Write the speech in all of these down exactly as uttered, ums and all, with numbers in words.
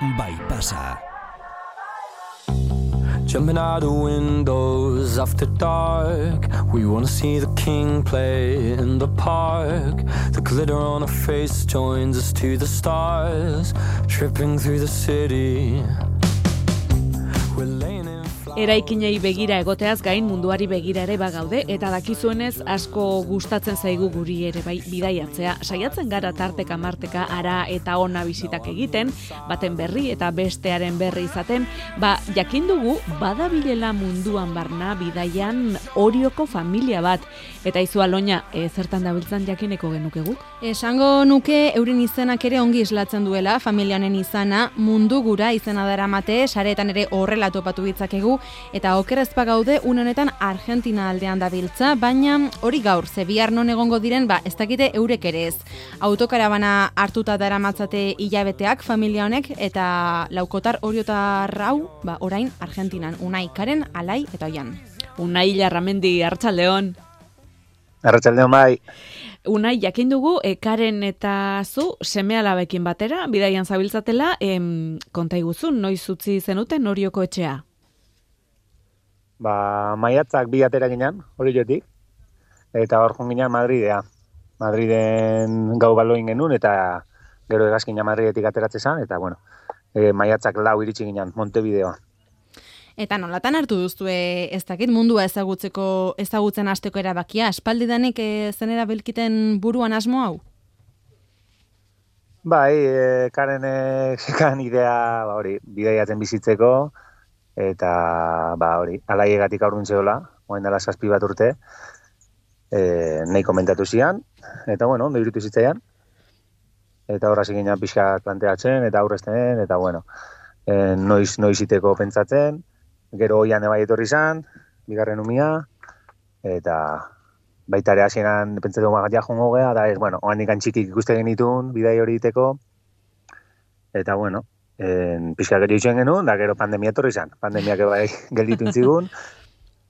Bypassa. Jumping out of windows after dark. We wanna see the king play in the park. The glitter on her face joins us to the stars. Tripping through the city. We're laying in Eraikinei begira egoteaz gain munduari begira ere bagaude eta dakizuenez asko gustatzen zaigu guri ere bai bidaiatzea. Saiatzen gara tarteka marteka ara eta ona bizitak egiten, baten berri eta bestearen berri izaten, ba jakin dugu badabilela munduan barna bidaian Orioko familia bat. Eta izu Aloña, e, zertan dabiltzan jakineko genuke guk? Esango nuke euren izenak ere ongi islatzen duela, familia honen izana, mundu gura izena daramate, sareetan ere horrela topatu ditzakegu, eta okerrezpa gaude une honetan Argentina aldean dabiltza, baina hori gaur, ze bihar non egongo diren, ba ez dakite eurek ere ez. Autokarabana hartuta daramatzate hilabeteak familia honek, eta laukotar oriotar hau, ba orain Argentinan, Unai, Karen, Alai eta Oian. Unai Larramendi, Arratsaldeon. Arratsaldeon bai. Unai, jakin dugu, e, Karen eta zu seme-alabekin batera, bidaian zabiltzatela, em, konta iguzun, noiz utzi zenuten Orioko etxea? Ba, maiatzak bi atera ginen, Oriotik, eta hor joan ginen Madridea. Madriden gau baloin genuen, eta gero egazkina Madridetik ateratze zen, eta bueno, e, maiatzak lau iritsi ginen, Montevideoa. Eta nolatan hartu duzue ez dakit mundua ezagutzeko ezagutzen hasteko erabakia, aspaldidanik e, zenera belkiten buruan asmo hau? Bai, e, Karenek zekan idea, ba hori, bidaiatzen bizitzeko, eta ba hori, alaiegatik aurrun zehola, oain dela zazpi bat urte, e, nahi komentatu zian, eta bueno, ondo irutu zitzaian, eta horra ziginan pixkat planteatzen, eta aurrezten, eta bueno, e, noiz, noiz iteko pentsatzen, gero oian ebai etorri izan, bigarren umia, eta baita ere hasieran pentsatu ja jongo gea, da ez, bueno, oan ikan txikik ikuste genitun, bidai hori iteko, eta bueno, en, pixka gero itxuen genuen, da gero pandemia etorri izan, pandemiak ebai gelditu intzigun,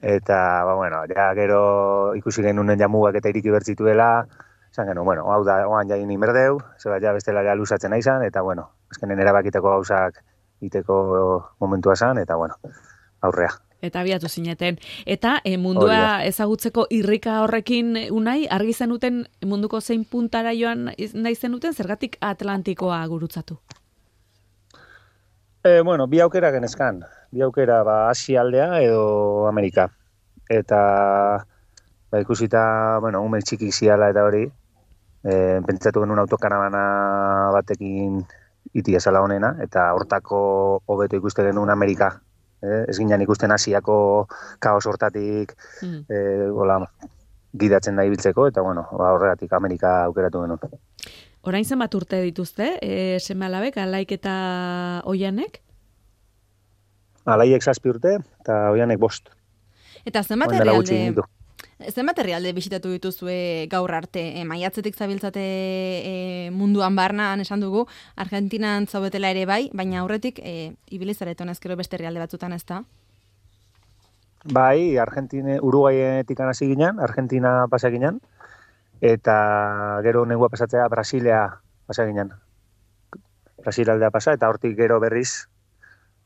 eta, ba, bueno, ja gero ikusi genuen jamugak eta iriki bertzituela, esan genuen, bueno, hau da, oan jain inberdeu, zeba ja bestela ja luzatzen nahi izan, eta, bueno, azkenen erabakiteko gauzak iteko momentua zan, eta, bueno, aurrea. Eta abiatu zineten. Eta e, mundua ezagutzeko irrika horrekin, Unai, argi zenuten munduko zein puntara joan nahi zenuten, zergatik Atlantikoa gurutzatu? E, bueno, bi aukera genezkan. Bi aukera, ba, Asia aldea edo Amerika. Eta, ba, ikusita, bueno, ume txikik ziala eta hori, e, pentsatu genuen autokarabana batekin itia zala honena, eta hortako hobeto ikuste genuen Amerika. Eh, ez ginen ikusten Asiako kaos hortatik mm. eh, gola, gidatzen da ibiltzeko, eta bueno, ba, horregatik Amerika aukeratu genuen. Orain zenbat urte dituzte, e, seme-alabek, Alaik eta Oianek? Alaiek zazpi urte, eta Oianek bost. Eta zenbat herrialde, zenbat herrialde bisitatu dituzue gaur arte? E, maiatzetik zabiltzate e, munduan barnan esan dugu, Argentinan zaudetela ere bai, baina aurretik e, ibilizareton ezkero beste herrialde batzutan ez da? Bai, Argentine, Uruguayetik hasi ginen, Argentina pasa ginen, eta gero negua pasatzea Brasilea pasa ginen. Brasil aldea pasa, eta hortik gero berriz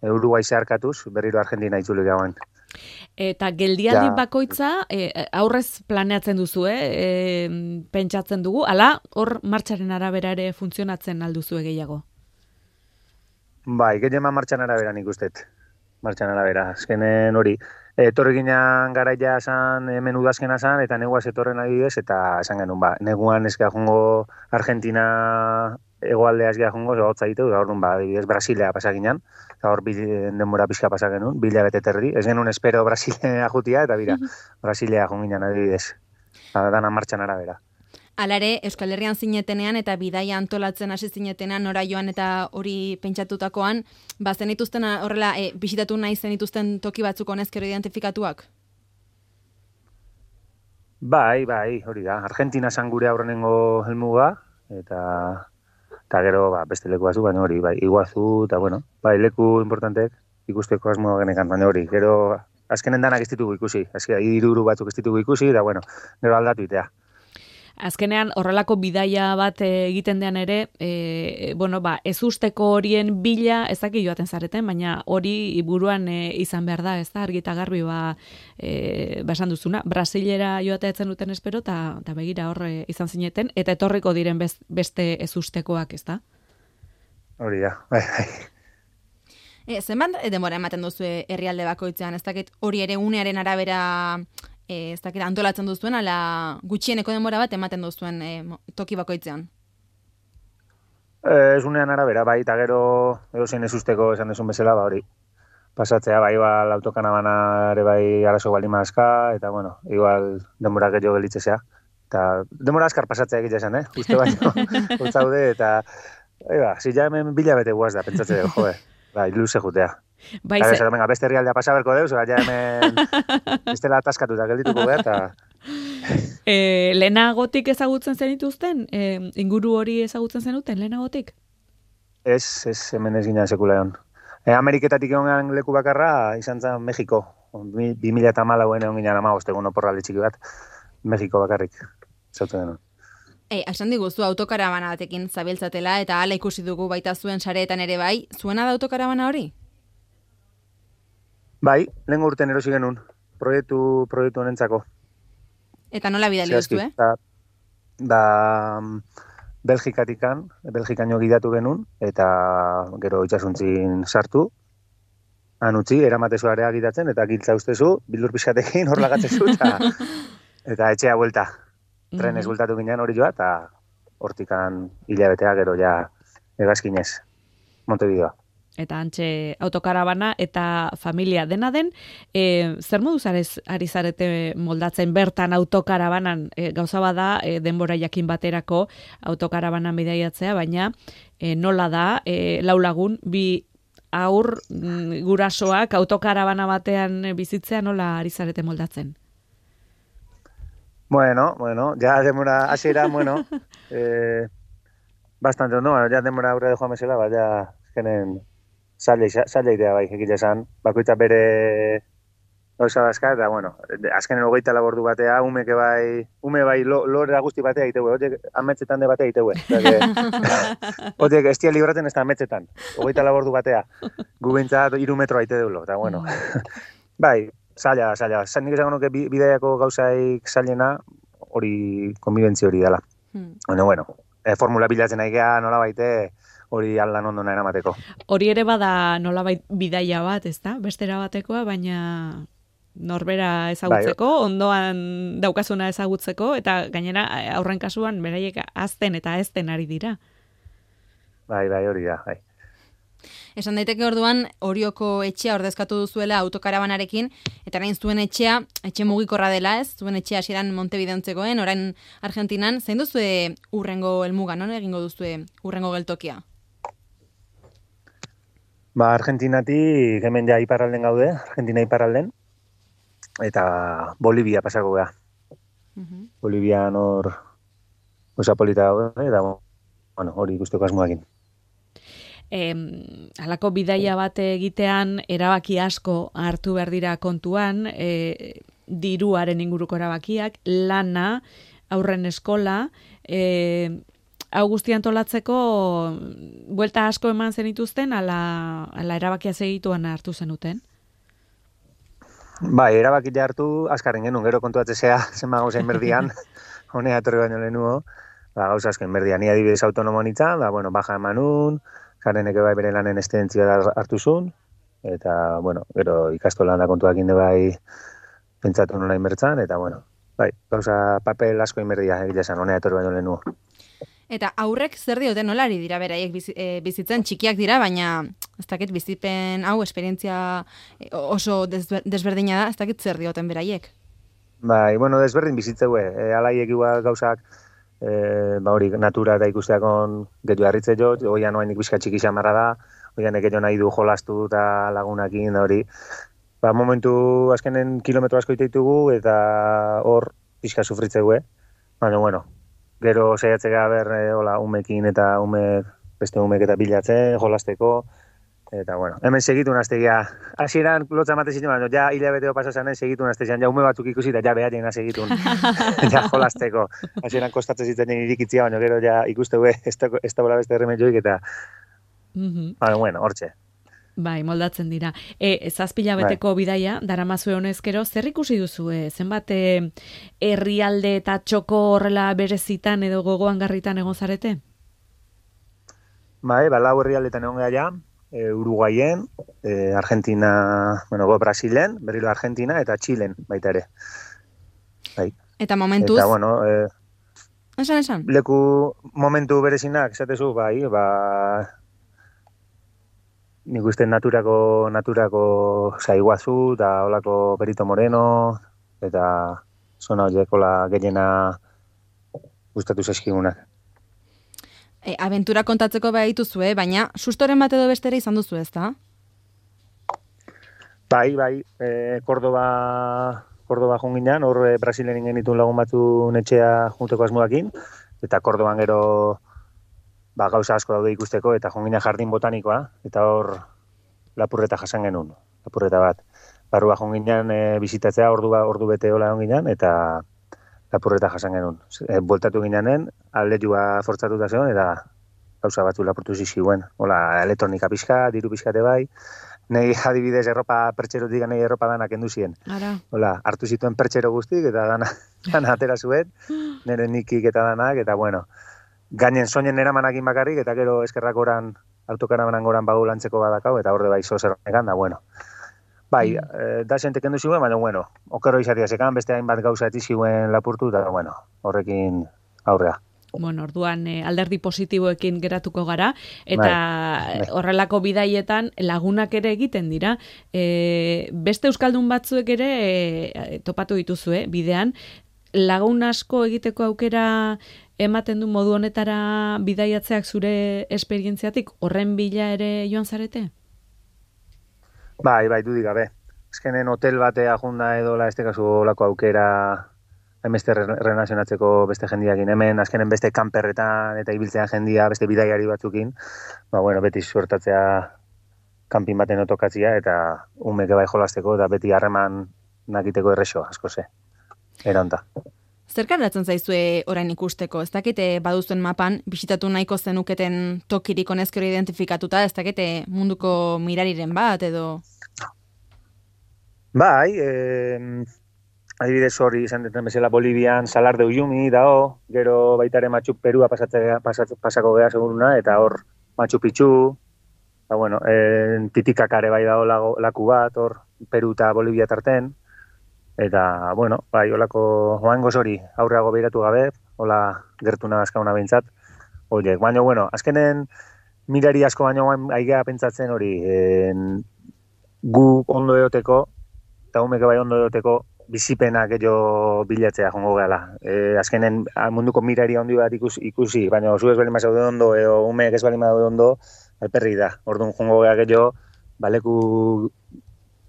Uruguai zeharkatuz, berriro Argentina itzuli gauen. Eta geldialdi ja. Bakoitza e, aurrez planeatzen duzu, eh? E, pentsatzen dugu, ala hor martxaren arabera ere funtzionatzen alduzu gehiago? Bai, gehiema martxan arabera nik ustet. Martxan arabera, azkenen hori. Etorri ginen garaia esan, hemen udazkena esan, eta neguaz etorren adibidez, eta esan genuen, ba, neguan ezkea jongo Argentina egoaldea ezkea jongo, hotza ditu, da orduan, ba, adibidez, Brasilea pasa ginen, eta hor denbora pixka pasa genuen, bila bete terdi, ez genuen espero Brasilea jutia, eta bira, Brasilea jonginen adibidez, da, dana martxan arabera. Alare, Euskal Herrian zinetenean eta bidaia antolatzen hasi zinetenean nora joan eta hori pentsatutakoan, ba zenituzten horrela e, bisitatu nahi zenituzten toki batzuk honezkero identifikatuak? Bai, bai, hori da. Argentina zan gure aurrenengo helmuga, eta eta gero ba, beste leku batzu, baina hori, bai, Iguazu, eta bueno, bai, leku importantek ikusteko asmoa genekan, baina hori, gero azkenen danak ez ditugu ikusi, azkena, iruru batzuk ez ditugu ikusi, eta bueno, gero aldatu itea. Azkenean horrelako bidaia bat egiten dean ere, e, bueno, ba, ez usteko horien bila, ez dakit joaten zareten, baina hori buruan e, izan behar da, ez da, argita garbi, ba, e, ba esan duzuna, Brasilera joatea etzen duten espero, eta begira horre izan zineten, eta etorriko diren bez, beste ez ustekoak, ez da? Hori da, bai, bai. E, zenbat denbora ematen duzu herrialde bakoitzean, ez dakit hori ere unearen arabera... E, ez dakit antolatzen duzuen, ala gutxieneko denbora bat ematen duzuen e, toki bakoitzean? E, ez unean arabera, bai, eta gero edozein ez usteko esan desun bezala, ba hori. Pasatzea, bai, igual autokanabana ere bai arazo baldin mazka, eta bueno, igual denbora gehiago gelitzezea. Eta denbora askar pasatzea egitea esan, eh? Uste baino, utzaude, eta eba, zila hemen bila bete guaz da, pentsatzea, jode, bai, luze jutea. Bai, ze... venga, beste herrialdea pasa berko deuz, ja hemen bestela ataskatuta geldituko behar, eta... e, lehenagotik ezagutzen zenituzten? E, inguru hori ezagutzen zenuten, lehenagotik? Ez, ez, hemen ez ginen sekula egon. E, Ameriketatik egon leku bakarra, izan zen Mexiko. bi mila eta hamalau egon ginen amagost, egun oporralde txiki bat, Mexiko bakarrik, zautzen denun. Ei, esan diguzu autokarabana batekin zabiltzatela, eta hala ikusi dugu baita zuen sareetan ere bai, zuena da autokarabana hori? Bai, lehen urten erosi genuen, proiektu, proiektu honentzako. Eta nola bidali duzu, eh? Da, da Belgikatikan, Belgikaino gidatu genuen, eta gero itxasuntzin sartu, han utzi, eramatezu area gidatzen, eta giltza ustezu, bildur pixatekin hor lagatzezu, eta, eta etxea buelta. Trenez bultatu ginen hori joa, eta hortikan hilabetea gero ja egazkinez, Montevideoa. Eta antxe autokarabana eta familia dena den, e, zer moduz ari zarete moldatzen bertan autokarabanan, e, gauza bada e, denbora jakin baterako autokarabanan bidaiatzea, baina e, nola da, e, lau lagun, bi aur m, gurasoak autokarabana batean bizitzea nola ari zarete moldatzen? Bueno, bueno, ja denbora hasiera, bueno, eh, bastante, no, ja denbora aurre de joan mesela, ba, ja, ezkenen, zaila idea bai, egile esan, bakoitza bere gauza dazka, eta bueno, azkenen hogeita labordu batea, umeke bai, ume bai lo, lorera guzti batea iteue, horiek ametzetan de batea iteue. Horiek estia libraten ez da ametzetan, hogeita labordu batea, gubentzat iru metroa ite deulo, eta bueno. Bai, zaila, zaila, nik esango nuke bidaiako gauzaik zailena, hori, konbibentzi hori dela. Hmm. Bueno, bueno, e, formula bilatzen aigea, nola baite, hori aldan ondona eramateko. Hori ere bada nolabait bidaia bat, ez da? Bestera batekoa, baina norbera ezagutzeko, bai, ondoan daukazuna ezagutzeko, eta gainera aurren kasuan beraiek azten eta ezten ari dira. Bai, bai, hori da, bai. Esan daiteke orduan, Orioko etxea ordezkatu duzuela autokarabanarekin, eta orain zuen etxea, etxe mugikorra dela ez, zuen etxea hasieran Montevideontzekoen, orain Argentinan, zein duzue urrengo helmuga, non egingo duzue urrengo geltokia? Ba, Argentinatik hemen ja iparralden gaude, Argentina iparralden, eta Bolivia pasako gara. Uh-huh. Bolivia hor osa polita gaude, eta bueno, hori ikusteko asmoakin. Eh, halako bidaia bat egitean erabaki asko hartu behar dira kontuan, eh, diruaren inguruko erabakiak, lana, aurren eskola, eh, hau guzti antolatzeko buelta asko eman zenituzten, ala, ala erabakia segituan hartu zenuten? Bai, erabakia hartu, azkarren genuen, gero kontuatzea zenba gauza inberdian, honea etorri baino lehenuo, ba, gauza asko inberdian, ni adibidez autonomo nintzen, da, bueno, baja emanun, Kareneke bai bere lanen estentzia hartu zuen, eta, bueno, gero ikastolan da kontuak inde bai pentsatu nola inbertzan, eta, bueno, bai, gauza papel asko inberdia egile esan, honea etorri baino lehenuo. Eta aurrek zer diote nolari dira beraiek bizitzen, txikiak dira, baina ez dakit bizipen hau esperientzia oso desberdina da, ez dakit zer dioten beraiek. Bai, bueno, desberdin bizitzeue, e, alaiek igual gauzak, e, ba hori, natura da ikusteakon gehiago harritze jo, oian oainik bizka txiki xamarra da, oian ekeio nahi du jolastu eta lagunakin, da hori. Ba, momentu azkenen kilometro asko iteitugu eta hor bizka sufritzeue, baina, bueno, gero saiatzea ber, e, hola, umekin eta ume, beste umek eta bilatzen, jolasteko, Eta, bueno, hemen segitu naztegia. Hasieran lotza emate zitzen, baina ja hilabeteo pasa zanen segitu naztezian, ja ume batzuk ikusi eta ja beharien segitun. Ja jolasteko. Hasieran kostatzen zitzen irikitzia, baina gero ja ikuste gue, ez da, ez da bola beste erremedioik eta... Mm-hmm. Baina, bueno, hortxe. Bai, moldatzen dira. E, zazpila beteko bai. Bidaia, daramazue honezkero, zer ikusi duzu? E? Zenbat herrialde eta txoko horrela berezitan edo gogoan garritan egon zarete? Bai, ba, lau herrialdetan egon gara, e, Uruguayen, e, Argentina, bueno, go, Brasilen, berriro Argentina eta Txilen baita ere. Bai. Eta momentuz? Eta, bueno, e, esan, esan. Leku momentu berezinak, esatezu, bai, ba... Nik uste naturako, naturako Saiguazu, eta holako Perito Moreno, eta zona horiek hola gehiena gustatu zaizkigunak. E, aventura kontatzeko behar dituzue, baina sustoren bat edo bestera izan duzu ez da? Bai, bai, e, Cordoba, Cordoba junginan, hor e, Brasilen genitun lagun batzu netxea junteko asmoakin, eta Cordoban gero... Ba, gauza asko daude ikusteko, eta jongina jardin botanikoa, eta hor lapurreta jasan genuen, lapurreta bat. Barrua jonginan e, bizitatzea ordu, ordu bete hola jonginan, eta lapurreta jasan genuen. E, Bueltatu ginanen, aldetua fortzatuta zegoen, eta gauza batzu lapurtu ziziguen. Hola, elektronika pixka, diru pixkate bai, nahi adibidez erropa pertxerotik nahi erropa danak enduzien. Hola, hartu zituen pertxero guztik, eta dana, dana atera zuen, nire nikik eta danak, eta bueno, gainen soinen eramanakin bakarrik, eta gero eskerrak oran, autokaramanan goran bagu lantzeko badakau, eta horde bai zozer negan, da, bueno. Bai, mm. e, da zentek endu ziuen, baina, bueno, okero izatea zekan, beste hainbat gauza eti ziuen lapurtu, eta, bueno, horrekin aurrea. Bueno, orduan eh, alderdi positiboekin geratuko gara, eta bai, bai. Horrelako bidaietan lagunak ere egiten dira. E, beste euskaldun batzuek ere e, topatu dituzue, bidean, lagun asko egiteko aukera ematen du modu honetara bidaiatzeak zure esperientziatik, horren bila ere joan zarete? Bai, bai, dudik gabe. Ezkenen hotel batea junda edo la este kasu olako aukera beste relazionatzeko beste jendiakin. Hemen azkenen beste kanperretan eta ibiltzean jendia, beste bidaiari batzukin. Ba, bueno, beti suertatzea kanpin baten otokatzia eta umeke bai jolasteko eta beti harreman nakiteko errexo, asko ze. Eranta. Zerkaratzen zaizue orain ikusteko? Ez dakite baduzuen mapan, bisitatu nahiko zenuketen tokirik honezkero identifikatuta, ez dakite munduko mirariren bat edo... Bai, eh, adibidez hori izan deten bezala Bolivian Salar de Uyuni dao, gero baitare Machu Perua pasatzea, pasat, pasako geha seguruna, eta hor Machu Picchu, ba, bueno, eh, Titicacare bai dao lago, laku bat, hor Peru eta Bolivia tarten, eta, bueno, bai, holako oangoz hori aurreago behiratu gabe, hola gertu nagazkauna behintzat, horiek, baina, bueno, azkenen mirari asko baino aigea pentsatzen hori, en, gu ondo eoteko, eta umeke bai ondo eoteko, bizipenak gehiago bilatzea jongo gehala. E, azkenen munduko miraria ondi bat ikusi, ikusi baina zu ez balima zaude ondo, edo umeek ez balima zaude ondo, alperri da. Orduan jongo geha gehiago, baleku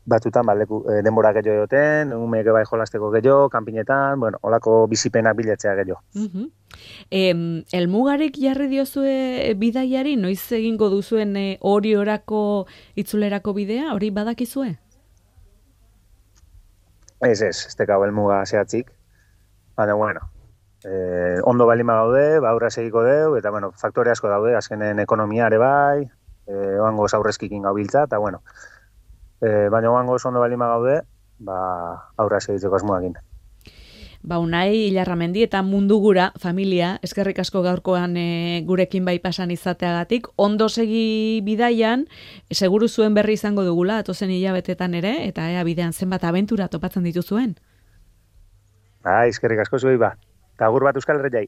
batzutan, baleku e, denbora gehiago egoten, umeek bai jolasteko gehiago, kanpinetan, bueno, olako bizipenak bilatzea gehiago. Uh-huh. Em, elmugarik jarri diozue bidaiari, noiz egingo duzuen hori e, orako itzulerako bidea, hori badakizue? Ez, ez, ez tekau elmuga zehatzik, baina, bueno, eh, ondo balima gaude, ba, aurra segiko deu, eta, bueno, faktore asko daude, azkenen ekonomiare bai, eh, oangoz aurrezkikin gau biltza, eta, bueno, eh, baina oangoz ondo balima gaude, ba, aurra segitzeko asmoakin. Ba, Unai Ilarramendi eta mundu gura, familia, eskerrik asko gaurkoan e, gurekin bai pasan izateagatik, ondo segi bidaian, seguru zuen berri izango dugula, atozen hilabetetan ere, eta ea bidean zenbat abentura topatzen dituzuen. Ba, eskerrik asko zuei ba, eta agur bat Euskal Herriai.